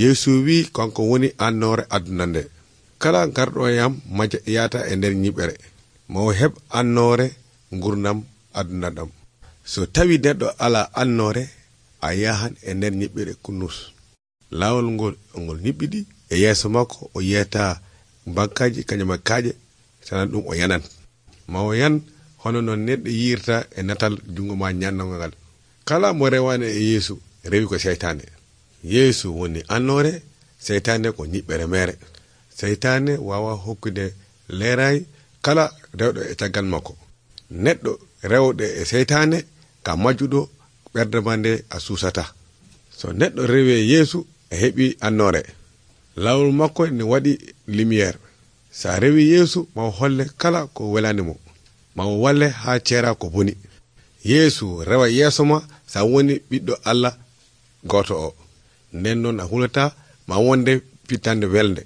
Yeesu wi kanko woni annoore aduna nde. Kala garɗo e yam yata e nder nyiɓere mo heb annoore gurdam aduna ɗam. So tawi neɗɗo ala annoore, a yahan e nder nyiɓɓere kunnus. Laawol ngol nyiɓɓiɗi e yeeso makko o yiyata bankaji kañuma kaaƴe sanan ɗum o yanan. Ma o yan hono non neɗɗo yirta e natal jungo ma ñannango ngal. Kala mo rewani e Yeesu rewi ko seytane. Yeesu woni annoore, seytane ko nyiɓɓere mere. Seytane wawa hokkude leeray kala rewɗo e caggal makko. Neɗɗo rewɗo e seytane ka majjuɗo ɓerde mande a suusata. So neɗɗo rewi e Yeesu e heɓi annoore. Lawol makko ne waɗi lumiére. Sa rewi Yeesu maw holle kala ko welani mo, maw walle ha ceera ko boni. Yeesu rewa yeeso ma sa woni ɓiɗɗo Allah goto o. Nden noon a hulata ma wonde pittande welde.